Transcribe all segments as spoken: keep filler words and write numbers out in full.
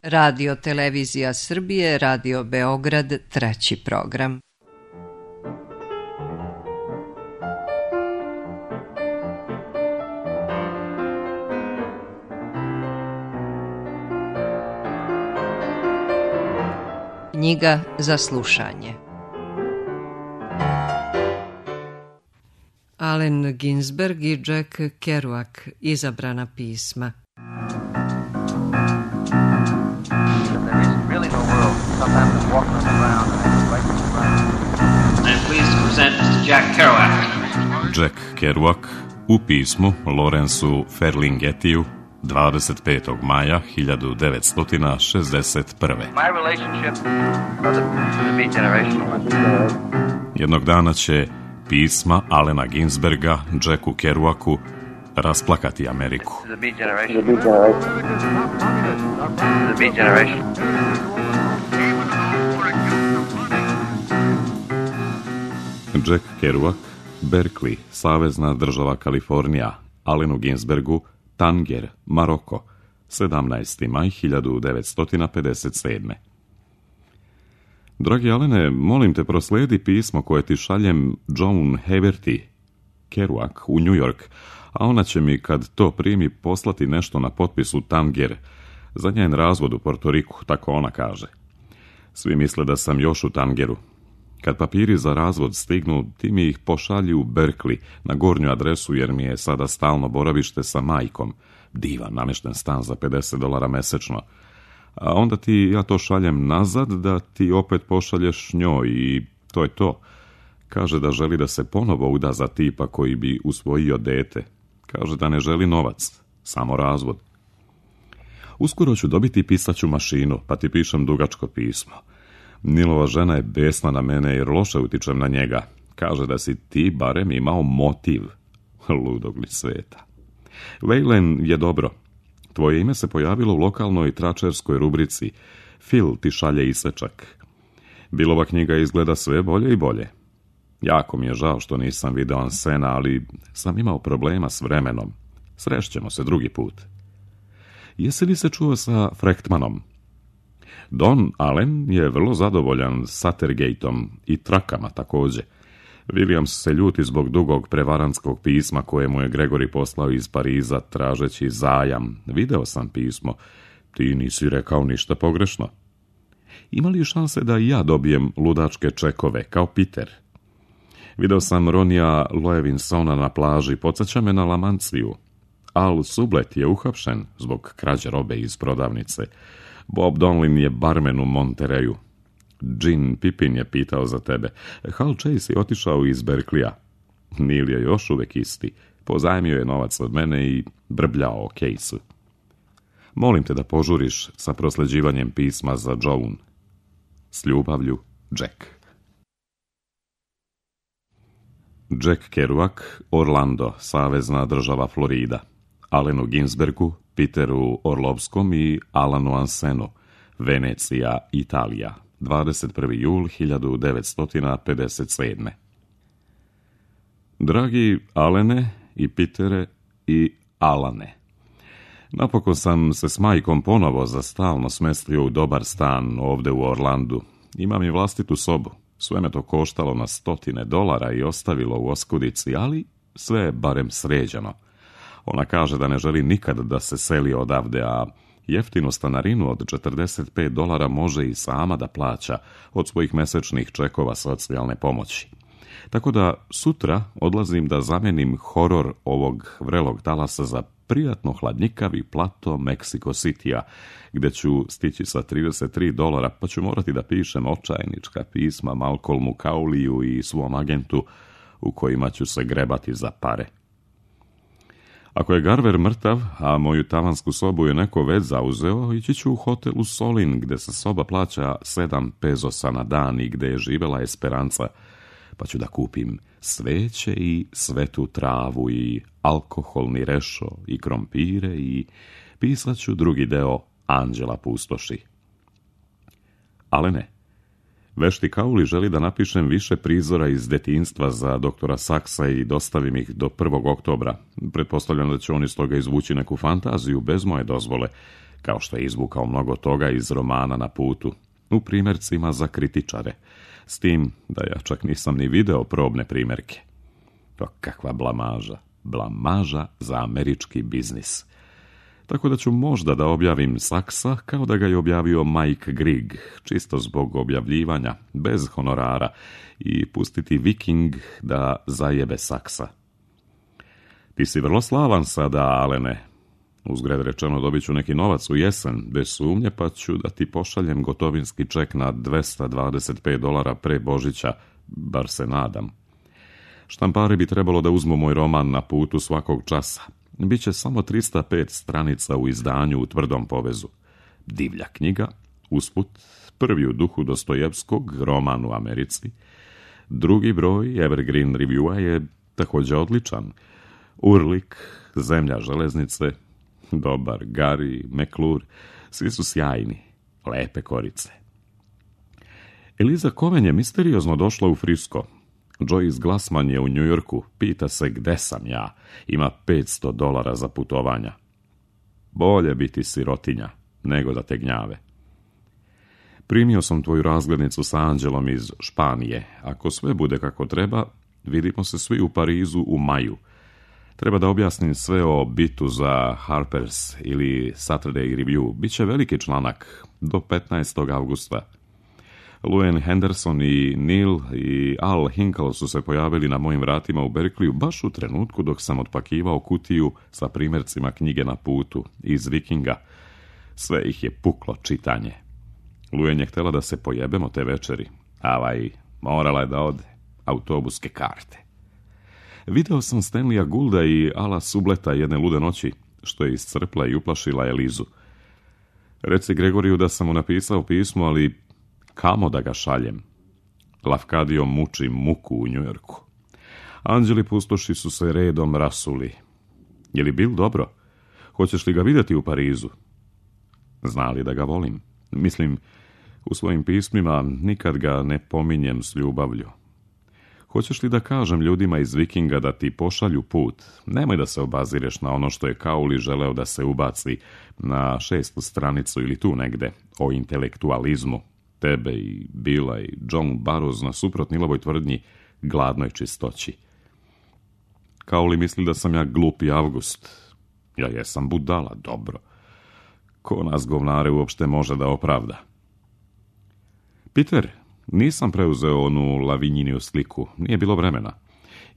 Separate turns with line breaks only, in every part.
Radio Televizija Srbije, Radio Beograd, treći program. Knjiga za slušanje. Allen Ginsberg i Jack Kerouac, izabrana pisma.
Jack Kerouac u pismu Lawrenceu Ferlinghettiju dvadeset petog maja hiljadu devetsto šezdeset prve. Jednog dana će pisma Allena Ginsberga Jacku Kerouacu rasplakati Ameriku. Jack Kerouac, Berkeley, savezna država Kalifornija, Allenu Ginsbergu, Tanger, Maroko, sedamnaesti maj hiljadu devetsto pedeset sedme. Dragi Allene, molim te prosledi pismo koje ti šaljem Joan Haverty Kerouac u New York, a ona će mi kad to primi poslati nešto na potpisu Tanger za njen razvod u Portoriku, tako ona kaže. Svi misle da sam još u Tangeru. Kad papiri za razvod stignu, ti mi ih pošalji u Berkeley na gornju adresu jer mi je sada stalno boravište sa majkom. Divan namješten stan za pedeset dolara mesečno. A onda ti ja to šaljem nazad da ti opet pošalješ njoj i to je to. Kaže da želi da se ponovo uda za tipa koji bi usvojio dete. Kaže da ne želi novac, samo razvod. Uskoro ću dobiti pisaću mašinu, pa ti pišem dugačko pismo. Nilova žena je besna na mene jer loše utičem na njega. Kaže da si ti barem imao motiv. Ludog li sveta. Vejlen je dobro. Tvoje ime se pojavilo u lokalnoj tračerskoj rubrici. Phil ti šalje isečak. Bilova knjiga izgleda sve bolje i bolje. Jako mi je žao što nisam video Ansena, ali sam imao problema s vremenom. Srešćemo se drugi put. Jesi li se čuo sa Frechtmanom? Don Allen je vrlo zadovoljan Sattergateom i trakama također. Williams se ljuti zbog dugog prevarantskog pisma koje mu je Gregory poslao iz Pariza tražeći zajam. Video sam pismo. Ti nisi rekao ništa pogrešno. Ima li šanse da i ja dobijem ludačke čekove, kao Peter? Video sam Ronija Loevinsona na plaži, podsjeća me na Lamanciju. Al Sublet je uhapšen zbog krađe robe iz prodavnice. Bob Donlin je barmen u Montereju. Gene Pippin je pitao za tebe. Hal Chase je otišao iz Berkleya. Neil je još uvek isti. Pozajmio je novac od mene i brbljao o Caseu. Molim te da požuriš sa prosleđivanjem pisma za Joan. S ljubavlju, Jack. Jack Kerouac, Orlando, savezna država Florida. Allenu Ginsbergu, Peteru Orlovskom i Alanu Ansenu, Venecija, Italija, dvadeset prvi jul hiljadu devetsto pedeset sedme. Dragi Allene i Petere i Alane, napokon sam se s majkom ponovo za stalno smestio u dobar stan ovde u Orlandu. Imam i vlastitu sobu. Sve me to koštalo na stotine dolara i ostavilo u oskudici, ali sve je barem sređeno. Ona kaže da ne želi nikad da se seli odavde, a jeftinu stanarinu od četrdeset pet dolara može i sama da plaća od svojih mesečnih čekova socijalne pomoći. Tako da sutra odlazim da zamenim horor ovog vrelog talasa za prijatno hladnjikavi plato Mexico City-a, gde ću stići sa trideset tri dolara, pa ću morati da pišem očajnička pisma Malcolmu Cowleyu i svom agentu u kojima ću se grebati za pare. Ako je Garver mrtav, a moju tavansku sobu je neko već zauzeo, ići ću u hotel u Solin, gde se soba plaća sedam pezosa na dan i gde je živela Esperanca, pa ću da kupim sveće i svetu travu i alkoholni rešo i krompire i pisat ću drugi deo Anđela pustoši. Ale ne. Vešti Kauli želi da napišem više prizora iz detinjstva za doktora Saksa i dostavim ih do prvog oktobra. Pretpostavljam da će on iz toga izvući neku fantaziju bez moje dozvole, kao što je izvukao mnogo toga iz romana Na putu, u primjercima za kritičare, s tim da ja čak nisam ni video probne primjerke. To kakva blamaža, blamaža za američki biznis. Tako da ću možda da objavim Saksa kao da ga je objavio Mike Grigg, čisto zbog objavljivanja, bez honorara, i pustiti Viking da zajebe Saksa. Ti si vrlo slavan sada, Alene. Uzgred rečeno, dobit ću neki novac u jesen, bez sumnje, pa ću da ti pošaljem gotovinski ček na dvesta dvadeset pet dolara pre Božića, bar se nadam. Štampari bi trebalo da uzmu moj roman Na putu svakog časa. Biće samo trista pet stranica u izdanju u tvrdom povezu. Divlja knjiga, usput, prvi u duhu Dostojevskog, roman u Americi. Drugi broj Evergreen Reviewa je također odličan. Urlik, Zemlja železnice, dobar Gary, McClure, svi su sjajni, lepe korice. Eliza Cohen je misteriozno došla u Frisko. Joyce Glassman je u Njujorku, pita se gde sam ja, ima petsto dolara za putovanja. Bolje biti sirotinja, nego da te gnjave. Primio sam tvoju razglednicu sa Anđelom iz Španije. Ako sve bude kako treba, vidimo se svi u Parizu u maju. Treba da objasnim sve o bitu za Harper's ili Saturday Review. Biće veliki članak do petnaestog avgusta. Luann Henderson i Neil i Al Hinkle su se pojavili na mojim vratima u Berkeleyu baš u trenutku dok sam otpakivao kutiju sa primjercima knjige Na putu iz Vikinga. Sve ih je puklo čitanje. Luann je htjela da se pojebemo te večeri. Avaj, morala je da ode. Autobuske karte. Video sam Stanleya Goulda i Ala Subleta jedne lude noći, što je iscrpla i uplašila Elizu. Reci Gregoriju da sam mu napisao pismo, ali kamo da ga šaljem? Lafcadio muči muku u Njujorku. Anđeli pustoši su se redom rasuli. Je li bil dobro? Hoćeš li ga vidjeti u Parizu? Zna li da ga volim? Mislim, u svojim pismima nikad ga ne pominjem s ljubavlju. Hoćeš li da kažem ljudima iz Vikinga da ti pošalju put? Nemoj da se obazireš na ono što je Kauli želeo da se ubaci na šestu stranicu ili tu negde o intelektualizmu. Tebe i Billa i John Burroughs na suprot Nilovoj tvrdnji gladnoj čistoći. Kauli misli da sam ja glupi Avgust. Ja jesam budala, dobro. Ko nas govnare uopšte može da opravda? Peter, nisam preuzeo onu Lavinjiniju sliku, nije bilo vremena.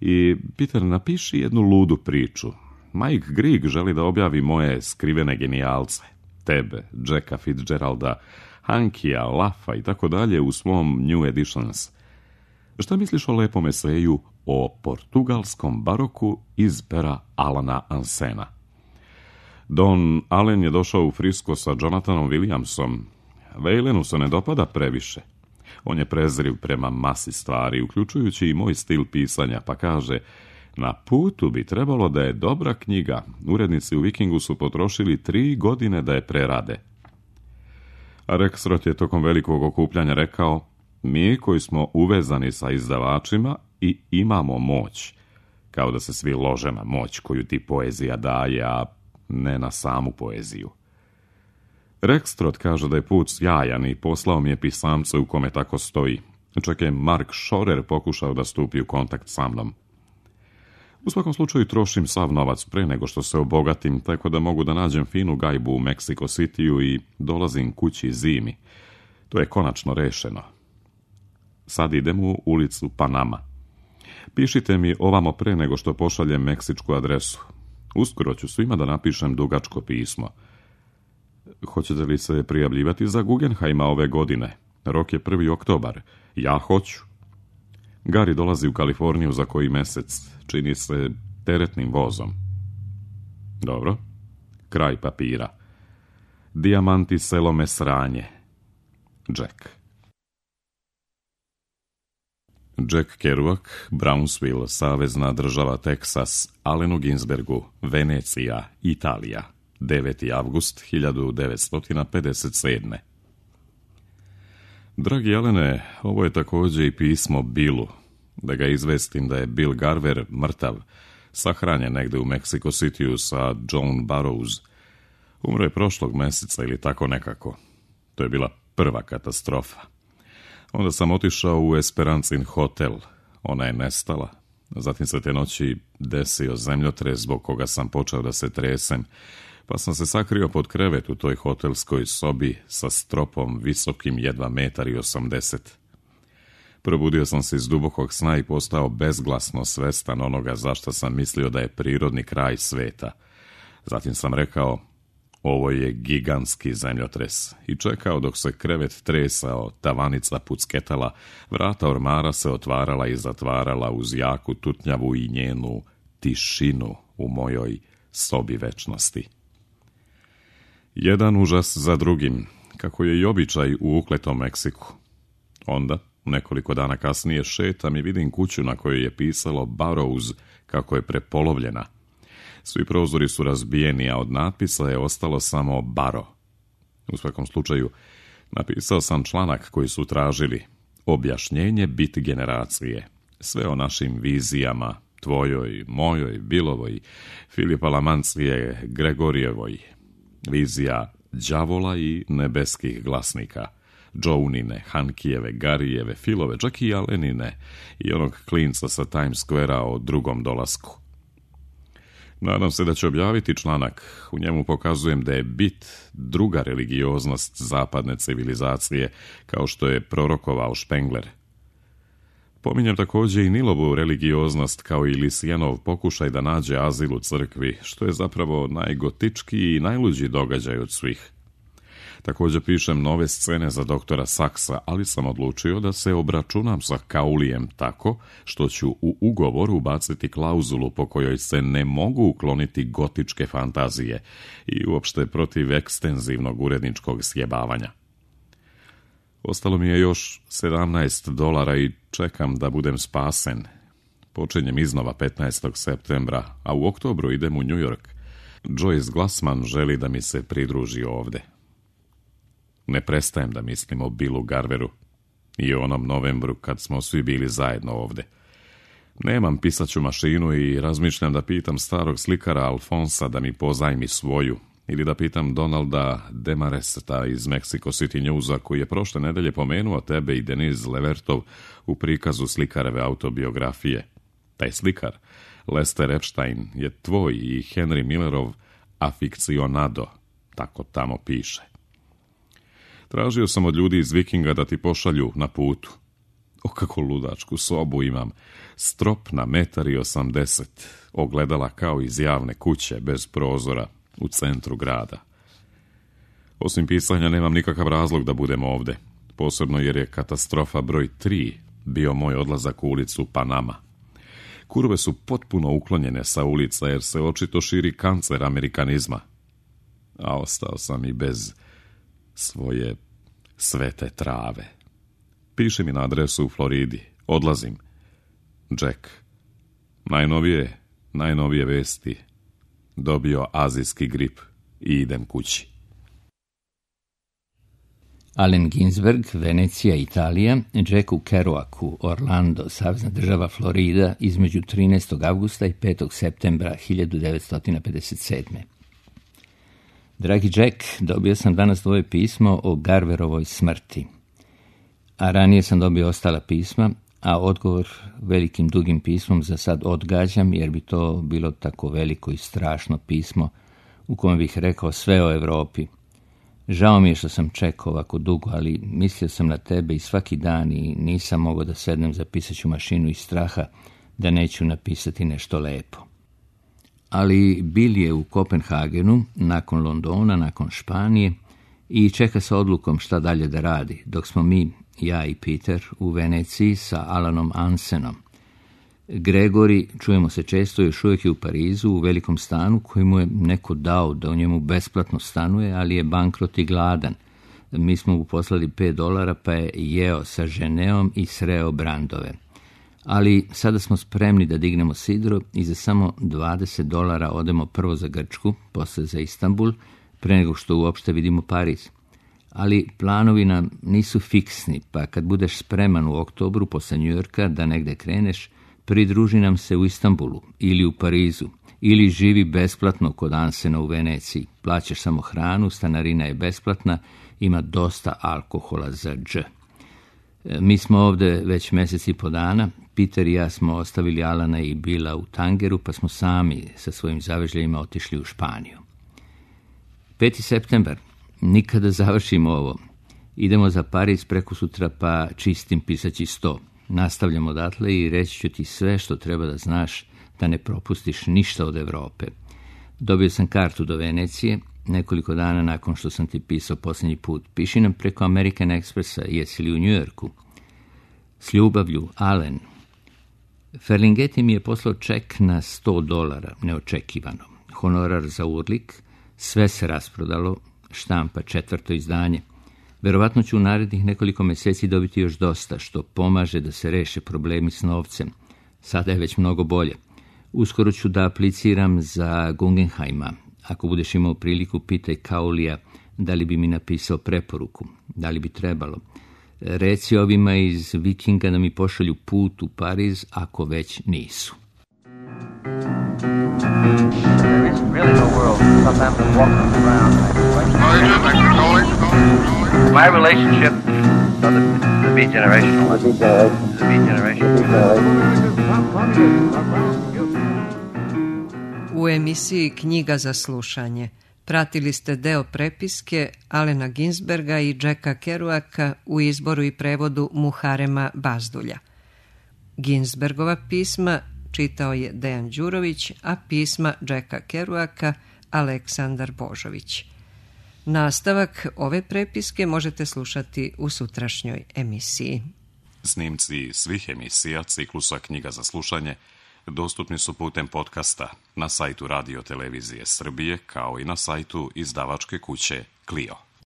I, Peter, napiši jednu ludu priču. Mike Grigg želi da objavi moje skrivene genijalce. Tebe, Jacka Fitzgeralda, Hankija, Lafa i tako dalje u svom New Editions. Šta misliš o lepom eseju o portugalskom baroku iz pera Alana Ansena? Don Allen je došao u Frisko sa Jonathanom Williamsom. Vejlenu se ne dopada previše. On je prezriv prema masi stvari, uključujući i moj stil pisanja, pa kaže: Na putu bi trebalo da je dobra knjiga. Urednici u Vikingu su potrošili tri godine da je prerade. A Rexroth je tokom velikog okupljanja rekao: Mi koji smo uvezani sa izdavačima i imamo moć, kao da se svi lože na moć koju ti poezija daje, a ne na samu poeziju. Rexroth kaže da je put sjajan i poslao mi je pisamce u kome tako stoji. Čak je Mark Schorer pokušao da stupi u kontakt sa mnom. U svakom slučaju trošim sav novac pre nego što se obogatim, tako da mogu da nađem finu gajbu u Mexico Cityu i dolazim kući zimi. To je konačno rešeno. Sad idem u ulicu Panama. Pišite mi ovamo pre nego što pošaljem meksičku adresu. Uskoro ću svima da napišem dugačko pismo. Hoćete li se prijavljivati za Guggenheima ove godine? Rok je prvi oktobar. Ja hoću. Gary dolazi u Kaliforniju za koji mesec. Čini se teretnim vozom. Dobro. Kraj papira. Dijamanti selome sranje. Jack. Jack Kerouac, Brownsville, savezna država Teksas, Allenu Ginsbergu, Venecija, Italija. deveti avgust hiljadu devetsto pedeset sedme. Dragi Alene, ovo je također i pismo Billu, da ga izvestim da je Bill Garver mrtav, sahranjen negde u Mexico Cityu sa John Burroughs. Umro je prošlog mjeseca ili tako nekako. To je bila prva katastrofa. Onda sam otišao u Esperancin hotel. Ona je nestala. Zatim se te noći desio zemljotres zbog koga sam počeo da se tresem, pa sam se sakrio pod krevet u toj hotelskoj sobi sa stropom visokim jedva metar i osamdeset. Probudio sam se iz dubokog sna i postao bezglasno svestan onoga zašto sam mislio da je prirodni kraj sveta. Zatim sam rekao, ovo je gigantski zemljotres, i čekao dok se krevet tresao, tavanica pucketala, vrata ormara se otvarala i zatvarala uz jaku tutnjavu i njenu tišinu u mojoj sobi večnosti. Jedan užas za drugim, kako je i običaj u ukletom Meksiku. Onda, nekoliko dana kasnije, šetam i vidim kuću na kojoj je pisalo Burroughs kako je prepolovljena. Svi prozori su razbijeni, a od natpisa je ostalo samo Baro. U svakom slučaju, napisao sam članak koji su tražili objašnjenje biti generacije. Sve o našim vizijama, tvojoj, mojoj, Bilovoj, Filipa Lamancije, Gregorijevoj. Vizija đavola i nebeskih glasnika. Joanine, Hankijeve, Garijeve, Filove, čak i Alenine i onog klinca sa Times Squarea o drugom dolasku. Nadam se da će objaviti članak. U njemu pokazujem da je bit druga religioznost zapadne civilizacije, kao što je prorokovao Spengler. Pominjem također i Nilovu religioznost kao i Lisijanov pokušaj da nađe azil u crkvi, što je zapravo najgotičkiji i najluđi događaj od svih. Također pišem nove scene za doktora Saksa, ali sam odlučio da se obračunam sa Kaulijem tako što ću u ugovor ubaciti klauzulu po kojoj se ne mogu ukloniti gotičke fantazije i uopšte protiv ekstenzivnog uredničkog sjebavanja. Ostalo mi je još sedamnaest dolara i čekam da budem spasen. Počinjem iznova petnaestog septembra, a u oktobru idem u New York. Joyce Glassman želi da mi se pridruži ovde. Ne prestajem da mislim o Billu Garveru i o onom novembru kad smo svi bili zajedno ovde. Nemam pisaću mašinu i razmišljam da pitam starog slikara Alfonsa da mi pozajmi svoju, ili da pitam Donalda Demareseta iz Mexico City Newsa koji je prošle nedelje pomenuo tebe i Denise Levertov u prikazu slikareve autobiografije. Taj slikar, Lester Epstein, je tvoj i Henry Millerov afikcionado, tako tamo piše. Tražio sam od ljudi iz Vikinga da ti pošalju na putu. O, kako ludačku sobu imam. Strop na metar i osamdeset. Ogledala kao iz javne kuće, bez prozora, u centru grada. Osim pisanja nemam nikakav razlog da budem ovde. Posebno jer je katastrofa broj tri bio moj odlazak u ulicu Panama. Kurve su potpuno uklonjene sa ulica jer se očito širi kancer amerikanizma. A ostao sam i bez svoje svete trave. Piši mi na adresu u Floridi. Odlazim. Jack. Najnovije, najnovije vesti. Dobio azijski grip i idem kući.
Allen Ginsberg, Venecija, Italija, Jacku Kerouacu, Orlando, savezna država Florida, između trinaestog avgusta i petog septembra hiljadu devetsto pedeset sedme. Dragi Jack, dobio sam danas tvoje pismo o Garverovoj smrti. A ranije sam dobio ostala pisma, a odgovor velikim dugim pismom za sad odgađam, jer bi to bilo tako veliko i strašno pismo u kojem bih rekao sve o Europi. Žao mi je što sam čekao ovako dugo, ali mislio sam na tebe i svaki dan i nisam mogao da sednem za pisaću mašinu iz straha da neću napisati nešto lepo. Ali Bill je u Kopenhagenu, nakon Londona, nakon Španije i čeka sa odlukom šta dalje da radi, dok smo mi, ja i Peter, u Veneciji sa Alanom Ansenom. Gregori, čujemo se često, još uvijek je u Parizu, u velikom stanu koji mu je neko dao da u njemu besplatno stanuje, ali je bankrot i gladan. Mi smo mu poslali pet dolara pa je jeo sa ženeom i sreo brandove. Ali sada smo spremni da dignemo sidro i za samo dvadeset dolara odemo prvo za Grčku, posle za Istanbul, pre nego što uopšte vidimo Pariz. Ali planovi nam nisu fiksni, pa kad budeš spreman u oktobru posle New Yorka da negde kreneš, pridruži nam se u Istanbulu ili u Parizu ili živi besplatno kod Ansena u Veneciji. Plaćaš samo hranu, stanarina je besplatna, ima dosta alkohola za dž. Mi smo ovde već mjesec i po dana. Peter i ja smo ostavili Alana i Bila u Tangeru, pa smo sami sa svojim zavežljajima otišli u Španiju. peti septembar. Nikada završimo ovo. Idemo za Pariz preko sutra, pa čistim pisaći sto. Nastavljamo odatle i reći ću ti sve što treba da znaš, da ne propustiš ništa od Evrope. Dobio sam kartu do Venecije, nekoliko dana nakon što sam ti pisao posljednji put. Piši nam preko American Expressa, jesi li u Njujorku? S ljubavlju, Alen. Ferlinghetti mi je poslao ček na sto dolara, neočekivano. Honorar za urlik, sve se rasprodalo, štampa četvrto izdanje. Verovatno ću u narednih nekoliko mjeseci dobiti još dosta, što pomaže da se reše problemi s novcem. Sada je već mnogo bolje. Uskoro ću da apliciram za Guggenheima. Ako budeš imao priliku, pitaj Kaulija da li bi mi napisao preporuku, da li bi trebalo. Reci ovima iz Vikinga da mi pošalju put u Pariz ako već nisu.
There is really no world. Sometimes I'm walking around. My relationship to the, the beat generation was the beat generation.
U emisiji Knjiga za slušanje pratili ste deo prepiske Alena Ginsberga i Jacka Kerouaka u izboru i prevodu Muharema Bazdulja. Ginsbergova pisma čitao je Dejan Đurović, a pisma Jacka Kerouaka Aleksandar Božović. Nastavak ove prepiske možete slušati u sutrašnjoj emisiji.
Snimci svih emisija ciklusa Knjiga za slušanje dostupni su putem podcasta na sajtu Radio Televizije Srbije, kao i na sajtu izdavačke kuće Clio.